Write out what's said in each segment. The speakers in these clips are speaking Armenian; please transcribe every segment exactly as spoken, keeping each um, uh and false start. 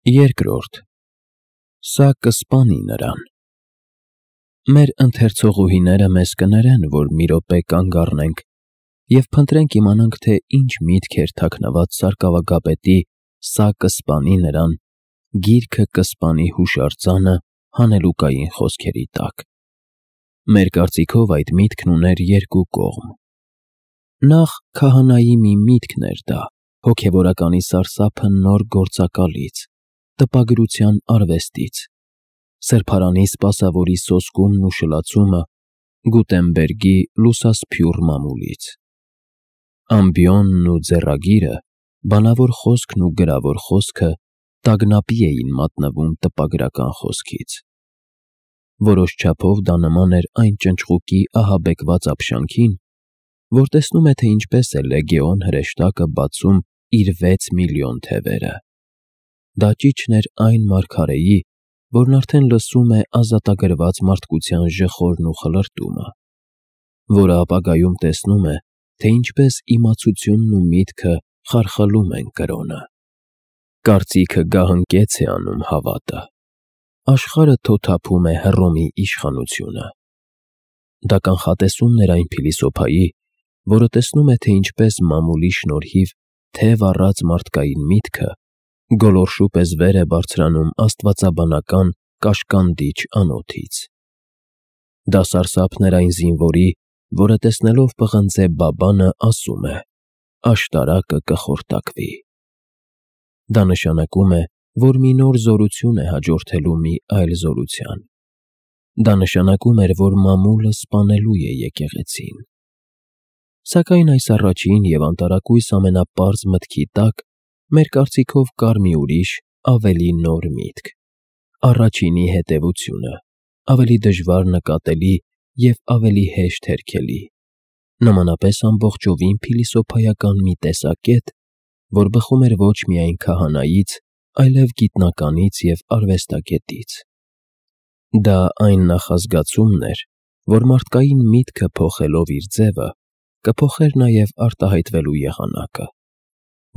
Երկրորդ. Սա կսպանի նրան։ Մեր ընթերցողուհիները մեզ կներեն, որ մի րոպե կանգ առնենք և փնտրենք իմանանք, թե ինչ միտք էր թաքնված սարկավագապետի «Սա կսպանի նրան» գիրքը կսպանի հուշարձանը հանելուկային խոսքերի տակ։ Մեր կարծիքով այդ միտքն ուներ երկու կողմ։ Նախ քահանայի մի միտքն էր դա, հոգևորականի սարսափը նոր գործակալից, տպագրության արվեստից, սրբարանի սպասավորի սոսկումն ու շլացումը Գուտենբերգի լուսասփյուռ մամուլից։ Ամբիոնն ու ձեռագիրը, բանավոր խոսքն ու գրավոր խոսքը տագնապի էին մատնվում տպագրական խոսքից։ Որոշ չափով դա նման էր այն ճնճղուկի ահաբեկված ապշանքին, որ տեսնում է, թե ինչպես է լեգեոն հրեշտակը բացում իր վեց միլիոն թևերը։ Դա ճիչն էր այն մարգարեի, որն արդեն լսում է ազատագրված մարդկության ժխորն ու խլրտումը, որը ապագայում տեսնում է, թե ինչպես իմացությունն ու միտքը խարխլում են կրոնը։ Կարծիքը գահընկեց է անում հավատը։ Աշխարհը թոթափում է Հռոմի իշխանությունը։ Դա կանխատեսումն էր այն փիլիսոփայի, որը տեսնում է, թե ինչպես մամուլի շնորհիվ թև առած մարդկային միտքը գոլորշու պես վեր է բարձրանում աստվածաբանական կաշկանդիչ անոթից։ Դա սարսափն էր այն զինվորի, որը տեսնելով պղնձե բաբանը ասում է. «Աշտարակը կխորտակվի»։ Դա նշանակում է, որ մի նոր զորություն է հաջորդելու մի այլ զորության։ Դա նշանակում էր, որ մամուլը սպանելու է եկեղեցին։ Սակայն այս առաջին և անտարակույս ամենապարզ մտքի տակ մեր կարծիքով կար մի ուրիշ, ավելի նոր միտք՝ առաջինի հետևությունը, ավելի դժվար նկատելի և ավելի հեշտ հերքելի, նմանապես ամբողջովին փիլիսոփայական մի տեսակետ, որ բխում էր ոչ միայն քահանայից, այլև գիտնականից և արվեստագետից։ Դա այն նախազգացումն էր, որ մարդկային միտքը փոխելով իր ձևը, կփոխեր նաև արտահայտվելու եղանակը,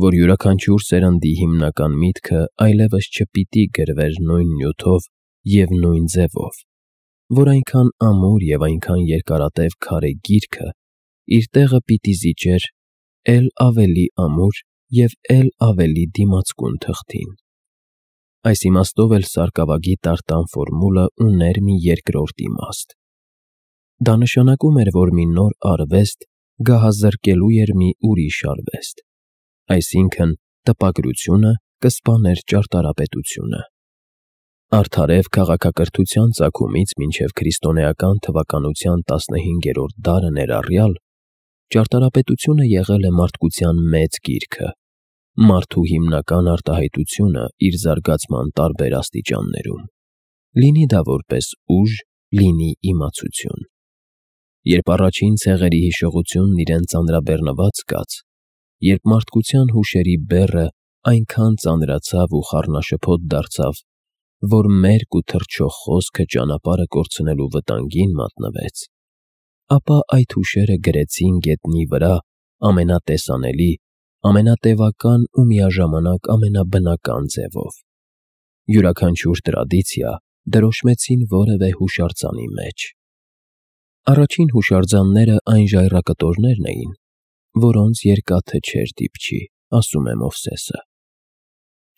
որ յուրաքանչյուր սերնդի հիմնական միտքը այլևս չպիտի գրվեր նույն նյութով և նույն ձևով, որ այնքան ամուր և այնքան երկարատև քարե գիրքը իր տեղը պիտի զիջեր էլ ավելի ամուր և էլ ավելի դիմացկուն թղթին։ Այս իմաստով էլ սարկավագի տարտան ֆորմուլը ուներ մի երկրորդ իմաստ։ Դա նշանակում էր, որ մի նոր արվեստ գահազրկելու էր մի ուրիշ արվեստ, այսինքն՝ տպագրությունը կսպաներ ճարտարապետությունը։ Արդարև քաղաքակրթության ծագումից մինչև քրիստոնեական թվականության տասնհինգերորդ դարը ներառյալ, ճարտարապետությունը եղել է մարդկության մեծ գիրքը, մարդու հիմնական արտահայտությունը իր զարգացման տարբեր աստիճաններում, լինի դա որպես ուժ, լինի իմացություն։ Երբ առաջին ցեղերի հիշողությունն իրեն ծանրաբեռնված զգաց, երբ մարդկության հուշերի բեռը այնքան ծանրացավ ու խառնաշփոթ դարձավ, որ մերկ ու թռչող խոսքը ճանապարհը կորցնելու վտանգին մատնվեց, ապա այդ հուշերը գրեցին գետնի վրա ամենատեսանելի, ամենատևական ու միաժամանակ ամենաբնական ձևով։ Յուրաքանչյուր տրադիցիա դրոշմեցին որևէ հուշարձանի մեջ։ Առաջին հուշարձանները այն ժայռակտորներն էին, որոնց երկաթը չէր դիպչի, ասում է Մովսեսը։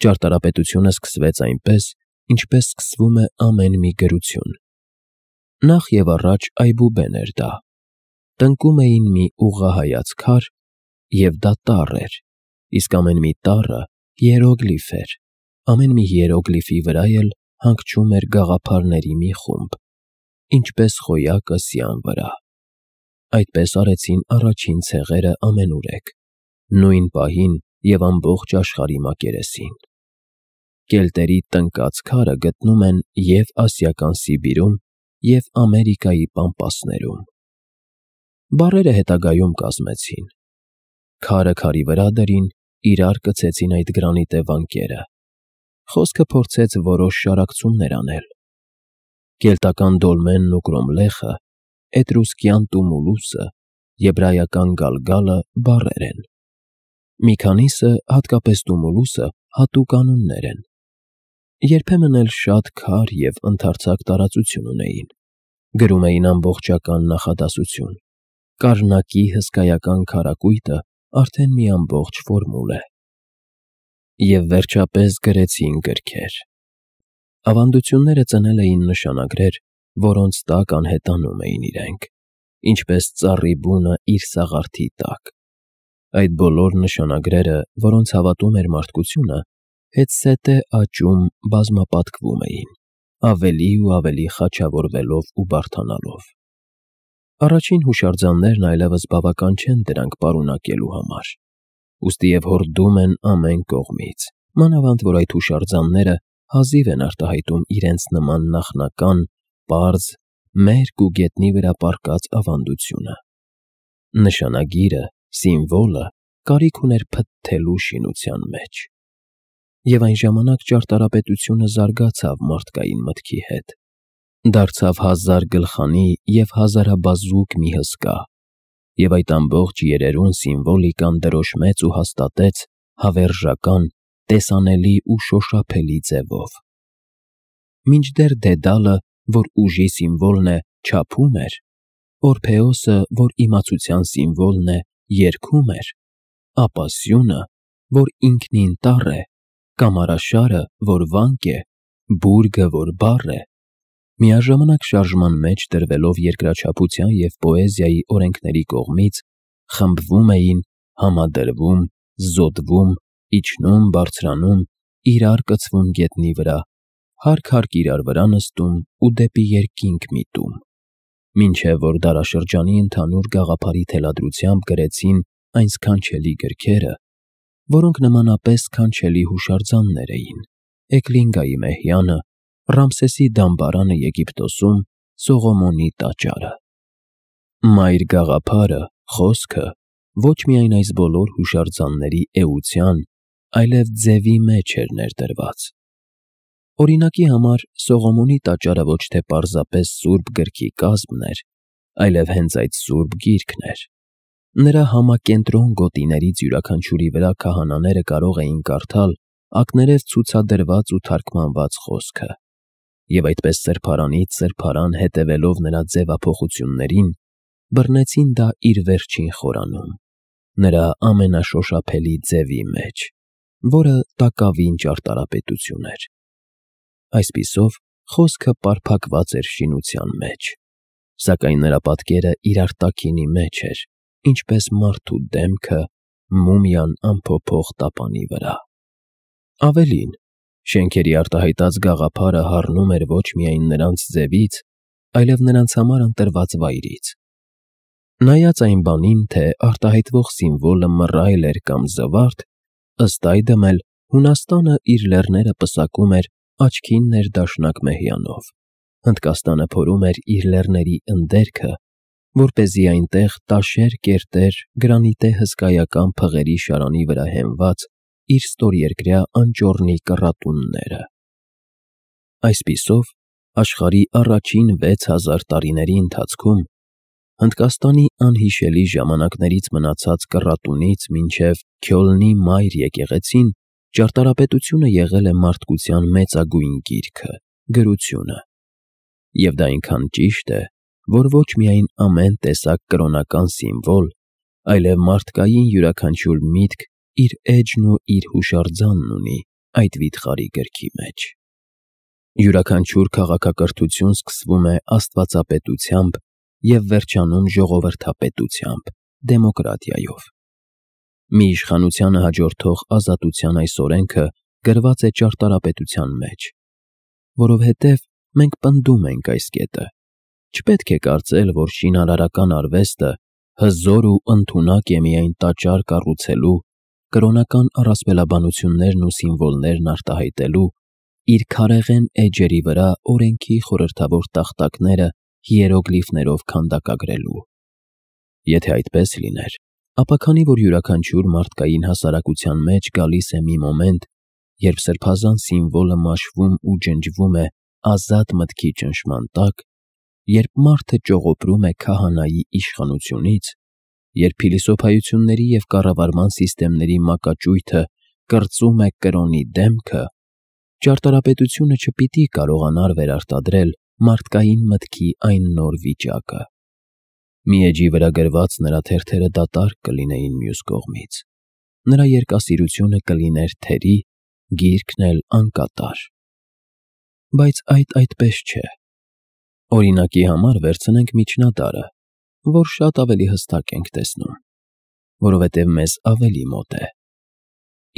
Ճարտարապետությունը սկսվեց այնպես, ինչպես սկսվում է ամեն մի գրություն։ Նախ և առաջ այբուբեն էր դա։ Տնկում էին մի ուղղահայաց քար, և դա տառ էր, իսկ ամեն մի տառը հիերոգլիֆ էր, ամեն մի հիերոգլիֆի վրա էլ հանգչում էր գաղափարների մի խումբ, ինչպես խոյակը սյան վրա։ Այդպես արեցին առաջին ցեղերը ամենուրեք, նույն պահին և ամբողջ աշխարհի մակերեսին։ Կելտերի տնկած քարը գտնում են և Ասիական Սիբիրում, և Ամերիկայի պամպասներում։ Բառերը հետագայում կազմեցին։ Քարը քարի վրա դրին, իրար կցեցին այդ գրանիտե վանքերը։ Խոսքը փորձեց որոշ շարակցումներ անել։ Կելտական դոլմենն ու կրոմլեխը, էտրուսկյան տումուլուսը, եբրայական գալգալը բառեր են։ Մի քանիսը, հատկապես տումուլուսը, հատուկ անուններ են։ երբեմն էլ շատ քար և ընդարձակ տարածություն ունեին, գրում էին ամբողջական նախադասություն, կառնակի հսկայական քառակույտը արդեն մի ամբողջ ֆորմուլ է։ Եվ վերջապես գրեցին գրքեր։ Ավանդությունները ծնել էին նշանագրեր, որոնց տակ անհետանում էին իրենք, ինչպես ծառի բունը իր սաղարթի տակ։ Այդ բոլոր նշանագրերը, որոնց հավատում էր մարդկությունը, հետզհետե աճում, բազմապատկվում էին, ավելի ու ավելի խաչավորվելով ու բարդանալով։ Առաջին հուշարձաններն այլևս բավական չեն դրանք պարունակելու համար, ուստիև հորդում են ամեն կողմից, մանավանդ որ այդ հուշարձանները հազիվ են արտահայտում իրենց նման նախնական, պարզ, մերկ ու գետնի վրա պառկած ավանդությունը։ Նշանագիրը, սիմվոլը կարիք ուներ փթթելու շինության մեջ։ Եվ այն ժամանակ ճարտարապետությունը զարգացավ մարդկային մտքի հետ, դարձավ հազար գլխանի և հազարաբազուկ մի հսկա, և այդ ամբողջ երերուն սիմվոլիկան դրոշմեց ու հաստատեց հավերժական, տեսանելի ու շոշափելի ձևով։ Մինչդեռ Դեդալը, որ ուժի սիմվոլն է, չափում էր, Օրփեոսը, որ իմացության սիմվոլն է, երգում էր, ապա սյունը, որ ինքնին տառ է, կամարաշարը, որ վանք է, բուրգը, որ բառ է, միաժամանակ շարժման մեջ դրվելով երկրաչափության և պոեզիայի օրենքների կողմից, խմբվում էին, համադրվում, զոդվում, իջնում, բարձրանում, իրար կցվում գետնի վրա, հարկ-հարկ իրար վրա նստում ու դեպի երկինք միտում, մինչև որ դարաշրջանի ընդհանուր գաղափարի թելադրությամբ գրեցին այն սքանչելի գրքերը, որոնք նմանապես սքանչելի հուշարձաններ էին. Էկլինգայի մեհյանը, Ռամսեսի դամբարանը Եգիպտոսում, Սողոմոնի տաճարը։ Մայր գաղափարը, խոսքը ոչ միայն այս բոլոր հուշարձանների էության, այլև ձևի մեջ էր ներդրված։ Օրինակի համար, Սողոմոնի տաճարը ոչ թե պարզապես սուրբ գրքի կազմն էր, այլև հենց այդ սուրբ գիրքն էր։ Նրա համակենտրոն գոտիներից յուրաքանչյուրի վրա քահանաները կարող էին կարդալ ակներով ցուցադրված ու թարգմանված խոսքը, և այդպես սրբարանից սրբարան հետևելով նրա ձևափոխություններին, բռնեցին դա իր վերջին խորանում, նրա ամենաշոշափելի ձևի մեջ, որը տակավին ճարտարապետություն էր։ Այսպիսով, խոսքը պարփակված էր շինության մեջ, սակայն նրա պատկերը իրար տաքինի մեջ էր, ինչպես մարդու դեմքը մումիան անփոփոխ տապանի վրա։ Ավելին, շենքերի արտահայտած գաղափարը հառնում էր ոչ միայն նրանց ձևից, այլև նրանց համար ընտրված վայրից։ Նայած այն բանին, թե արտահայտվող սիմվոլը մռայլ էր կամ զվարթ, ըստ այդմ էլ Հունաստանը իր լեռները պսակում էր աչքին ներդաշնակ մեհյանով, Հնդկաստանը փորում էր իր լեռների ընդերքը, որպեսզի այնտեղ տաշեր կերտեր գրանիտե հսկայական փղերի շարանի վրա հենված իր ստորերկրյա անճոռնի կռատունները։ Այսպիսով, աշխարհի առաջին վեց հազար տարիների ընթացքում Հնդկաստանի անհիշելի ժամանակներից մնացած կռատունից մինչև Քյոլնի մայր եկեղեցին ճարտարապետությունը եղել է մարդկության մեծագույն գիրքը, գրությունը։ Եվ դա այնքան ճիշտ է, որ ոչ միայն ամեն տեսակ կրոնական սիմվոլ, այլև մարդկային յուրաքանչյուր միտք իր էջն ու իր հուշարձանն ունի այդ վիթխարի գրքի մեջ։ Յուրաքանչյուր քաղաքակրթություն սկսվում է աստվածապետությամբ և վերջանում ժողովրդապետությամբ, դեմոկրատիայով։ Մի իշխանությանը հաջորդող ազատության այս օրենքը գրված է ճարտարապետության մեջ, որովհետև մենք պնդում ենք այս կետը. չպետք է կարծել, որ շինարարական արվեստը հզոր ու ընդունակ է միայն տաճար կառուցելու, կրոնական առասպելաբանություններն ու սիմվոլներն արտահայտելու, իր քարեղեն էջերի վրա օրենքի խորհրդավոր տախտակները հիերոգլիֆներով քանդակագրելու։ Եթե այդպես լիներ, ապա քանի որ յուրաքանչյուր մարդկային հասարակության մեջ գալիս է մի մոմենտ, երբ սրբազան սիմվոլը մաշվում ու ջնջվում է ազատ մտքի ճնշման տակ, երբ մարդը ճողոպրում է քահանայի իշխանությունից, երբ փիլիսոփայությունների և կառավարման սիստեմների մակաճույթը կրծում է կրոնի դեմքը, Ճարտարապետությունը չպիտի կարողանար վերարտադրել մարդկային մտքի այն նոր վիճակը։ Մի էջի վրա գրված նրա թերթերը դատարկ կլինեին մյուս կողմից, նրա երկասիրությունը կլիներ թերի, գիրքն էլ անկատար։ Բայց այդ այդպես չէ։ Օրինակի համար վերցնենք միջնադարը, որ շատ ավելի հստակ ենք տեսնում, որովհետև մեզ ավելի մոտ է։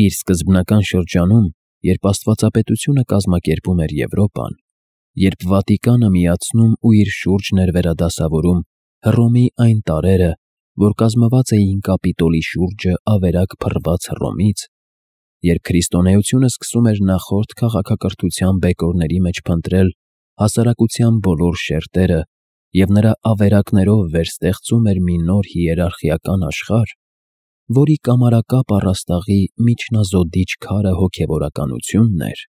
Իր սկզբնական շրջանում, երբ աստվածապետությունը կազմակերպում էր Եվրոպան, երբ Վատիկանը միացնում ու իր շուրջն էր վերադասավորում Հռոմի այն տարրերը, որ կազմված էին Կապիտոլի շուրջը ավերակ փռված Հռոմից, երբ քրիստոնեությունը սկսում էր նախորդ քաղաքակրթության բեկորների մեջ փնտրել հասարակության բոլոր շերտերը և նրա ավերակներով վերստեղծում էր մի նոր հիերարխիական աշխարհ, որի կամարակապ առաստաղի միջնազոդիչ քարը հոգևորականությունն էր,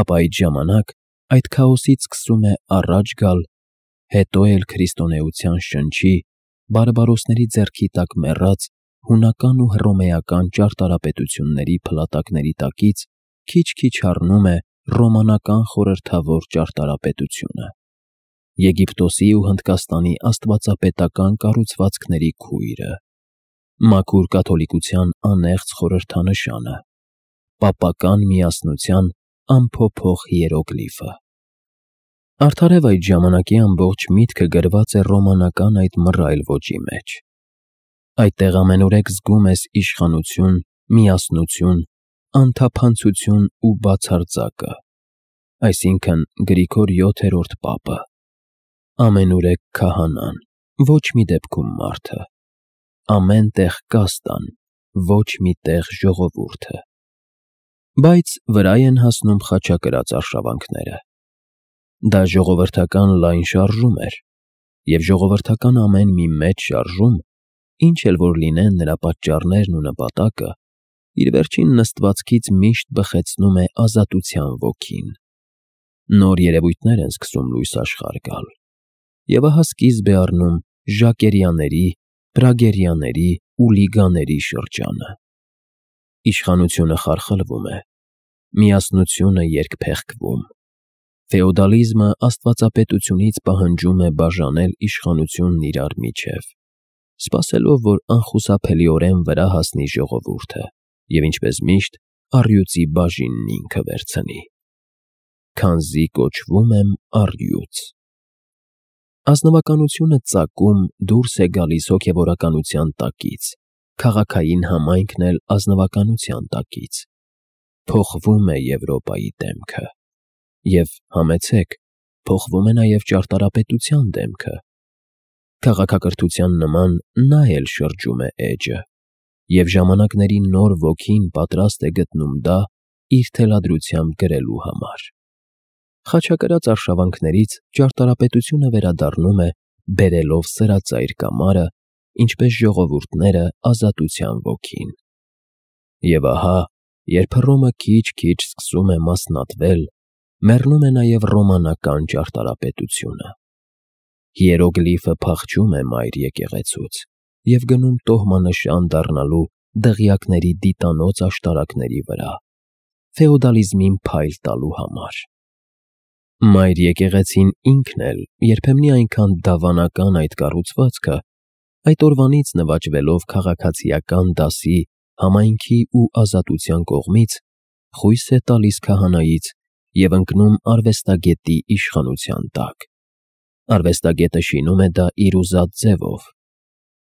ապա այդ ժամանակ այդ քաոսից սկսում է առաջ գալ, հետո էլ քրիստոնեության շնչի, բարբարոսների ձեռքի տակ մեռած հունական ու հռոմեական ճարտարապետությունների փլատակների տակից քիչ-քիչ հառնում է ռոմանական խորհրդավոր ճարտարապետությունը, Եգիպտոսի ու Հնդկաստանի աստվածապետական կառուցվածքների քույրը, մաքուր կաթոլիկության անեղծ խորհրդանշանը, պապական միասնության անփոփոխ հիերոգլիֆը։ Արդարև այդ ժամանակի ամբողջ միտքը գրված է ռոմանական այդ մռայլ ոճի մեջ։ Այդտեղ ամենուրեք զգում ես իշխանություն, միասնություն, անթափանցություն ու բացարձակը, այսինքն Գրիգոր յոթերորդ պապը, ամենուրեք քահանան, ոչ մի դեպքում մարդը, ամեն տեղ կաստան, ոչ մի տեղ ժողովուրդը։ Բայց վրա են հասնում խաչակրաց արշավանքները։ Դա ժողովրդական լայն շարժում էր, և ժողովրդական ամեն մի մեծ շարժում, ինչ էլ որ լինեն նրա պատճառներն ու նպատակը, իր վերջին նստվածքից միշտ բխեցնում է ազատության ոգին։ Նոր երևույթներ են սկսում լույս աշխարհ գալ, և ահա սկիզբ է առնում ժակերյաների, պրագերյաների ու լիգաների շրջանը։ Իշխանությունը խարխլվում է, միասնությունը երկփեղկվում։ Ֆեոդալիզմը աստվածապետությունից պահանջում է բաժանել իշխանությունն իրար միջև, սպասելով, որ անխուսափելիորեն վրա հասնի ժողովուրդը և, ինչպես միշտ, առյուծի բաժինն ինքը վերցնի։ Քանզի կոչվում եմ առյուծ։ Ազնվականությունը ծակում դուրս է գալիս հոգևորականության տակից, քաղաքային համայնքն էլ ազնվականության տակից։ Փոխվում է Եվրոպայի դեմքը։ Եվ, համեցեք, փոխվում է նաև ճարտարապետության դեմքը։ Քաղաքակրթության նման նա էլ շրջում է էջը, և ժամանակների նոր ոգին պատրաստ է գտնում դա իր թելադրությամբ գրելու համար։ Խաչակրաց արշավանքներից ճարտարապետությունը վերադառնում է բերելով սրածայր կամարը, ինչպես ժողովուրդները ազատության ոգին։ Եվ ահա, երբ Հռոմը քիչ-քիչ սկսում է մասնատվել, մեռնում է նաև ռոմանական ճարտարապետությունը։ Հիերոգլիֆը փախչում է մայր եկեղեցուց և գնում տոհմանշան դառնալու դղյակների դիտանոց աշտարակների վրա, ֆեոդալիզմին փայլ տալու համար։ Մայր եկեղեցին ինքն էլ երբեմնի այնքան դավանական այդ կառուցվածքը, այդ օրվանից նվաճվելով քաղաքացիական դասի, համայնքի ու ազատության կողմից, խույս է տալիս քահանայից և ընկնում արվեստագետի իշխանության տակ։ Արվեստագետը շինում է դա իր ուզած ձևով։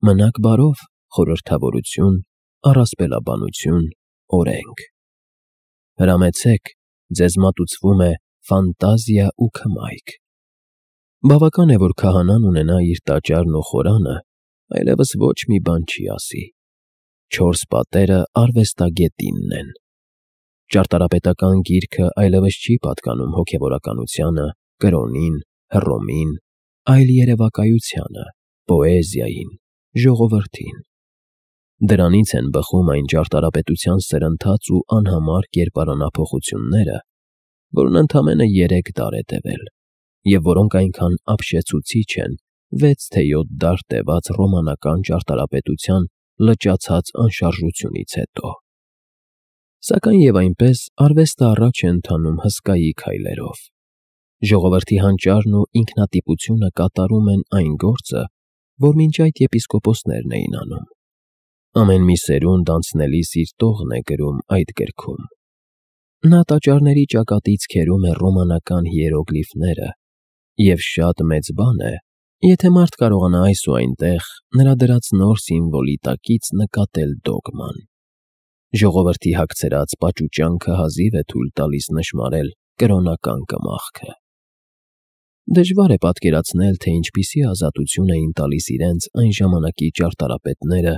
Մնաք բարով, խորհրդավորություն, առասպելաբանություն, օրենք։ Հրամեցեք, ձեզ մատուցվում է ֆանտազիա ու քմայք։ Բավական է, որ քահանան ունենա իր տաճարն ու խորանը, այլևս ոչ մի բան չի ասի։ Չորս պատերը արվեստագետինն են։ Ճարտարապետական գիրքը այլևս չի պատկանում հոգևորականությանը, կրոնին, Հռոմին, այլ երևակայությանը, պոեզիային, ժողովրդին։ Դրանից են բխում այն ճարտարապետության սրընթաց ու անհամար կերպարանափոխությունները, որն ընդամենը երեք դար է տևել, և որոնք այնքան ապշեցուցիչ են վեց թե յոթ դար տևած ռոմանական ճարտարապետության լճացած անշարժությունից հետո։ Սակայն եւ այնպես արվեստը առաջ է ընթանում հսկայի քայլերով։ Ժողովրդի հանճարն ու ինքնատիպությունը կատարում են այն գործը, որ մինչ այդ եպիսկոպոսներն էին անում։ Ամեն մի սերունդ անցնելիս իր տողն է գրում այդ գրքում։ Նա տաճարների ճակատից քերում է ռոմանական հիերոգլիֆները, և շատ մեծ բան է, եթե մարդ կարողանա այս ու այնտեղ նրա դրած նոր սիմվոլի տակից նկատել դոգման։ Ժողովրդի հագցրած պաճուճանքը հազիվ է թույլ տալիս նշմարել կրոնական կմախքը։ Դժվար է պատկերացնել, թե ինչպիսի ազատություն էին տալիս իրենց այն ժամանակի ճարտարապետները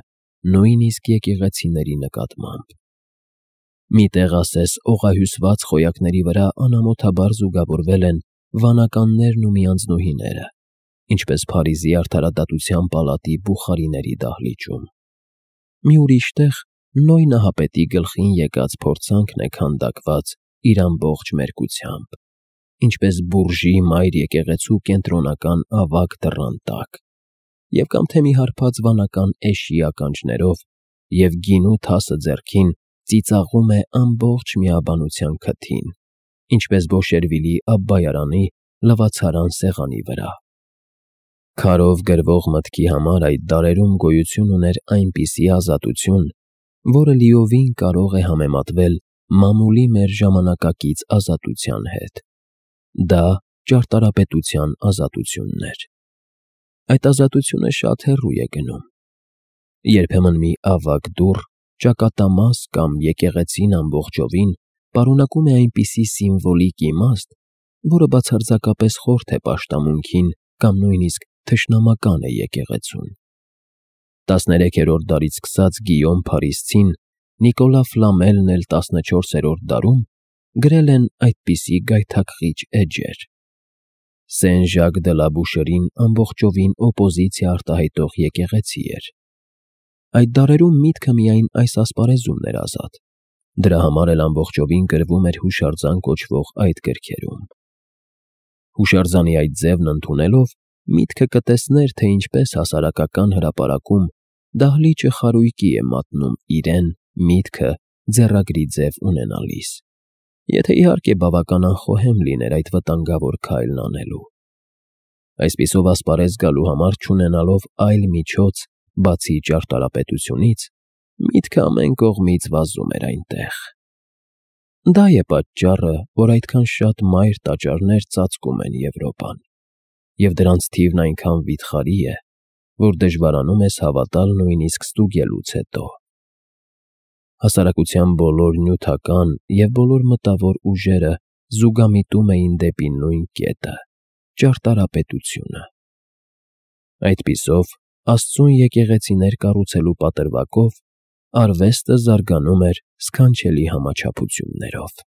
նույնիսկ եկեղեցիների նկատմամբ։ Մի տեղ ասես օղահյուսված խոյակների վրա անամոթաբար զուգավորվել են վանականներն ու միանձնուհիները, ինչպես Փարիզի արդարադատության պալատի բուխարիների դահլիճում։ Մի ուրիշ տեղ Նոյ նահապետի գլխին եկած փորձանքն է քանդակված իր ամբողջ մերկությամբ, ինչպես բուրժի մայր եկեղեցու կենտրոնական ավագ դռան տակ, և կամ թե մի հարբած վանական էշի ականջներով և գինու թասը ձեռքին ծիծաղում է ամբողջ միաբանության քթին, ինչպես Բոշերվիլի Աբբայարանի լվացարան սեղանի վրա։ Քարով գրվող մտքի համար այդ դարերում գոյություն ուներ այնպիսի ազատություն, որը լիովին կարող է համեմատվել մամուլի մեր ժամանակակից ազատության հետ։ Դա ճարտարապետության ազատությունն էր։ Այդ ազատությունը շատ հեռու է գնում։ Երբեմն մի ավագ դուռ, ճակատամաս կամ եկեղեցին ամբողջովին պարունակում է այնպիսի սիմվոլիկ իմաստ, որը բացարձակապես խորթ է պաշտամունքին կամ նույնիսկ թշնամական է եկեղեցուն։ Տասներեքերորդ դարից սկսած Գիյոմ Փարիսցին, Նիկոլա Ֆլամելն էլ տասնչորսերորդ դարում գրել են այդպիսի գայթակղիչ էջեր։ Սեն Ժակ դը լա Բուշերին ամբողջովին օպոզիցիա արտահայտող եկեղեցի էր։ Այդ դարերում միտքը միայն այս ասպարեզումն էր ազատ, դրա համար էլ ամբողջովին գրվում էր հուշարձան կոչվող այդ գրքերում։ Հուշարձանի այդ ձևն ընդունելով միտքը կտեսներ, թե ինչպես հասարակական հրապարակում դահլիճը խարույկի է մատնում իրեն, միտքը ձեռագրի ձև ունենալիս, եթե իհարկե բավական անխոհեմ լիներ այդ վտանգավոր քայլն անելու։ Այսպիսով ասպարեզ գալու համար չունենալով այլ միջոց, բացի ճարտարապետությունից, միտքը ամեն կողմից վազում էր այնտեղ։ Դա է պատճառը, որ այդքան շատ մայր տաճարներ ծածկում են Եվրոպան, և դրանց թիվն այնքան վիթխարի է, որ դժվարանում ես հավատալ նույնիսկ ստուգելուց հետո։ Հասարակության բոլոր նյութական և բոլոր մտավոր ուժերը զուգամիտում էին դեպի նույն կետը՝ ճարտարապետությունը։ Այդպիսով, Աստծուն եկեղեցիներ կառուցելու պատրվակով արվեստը զարգանում էր սքանչելի համաչափություններով։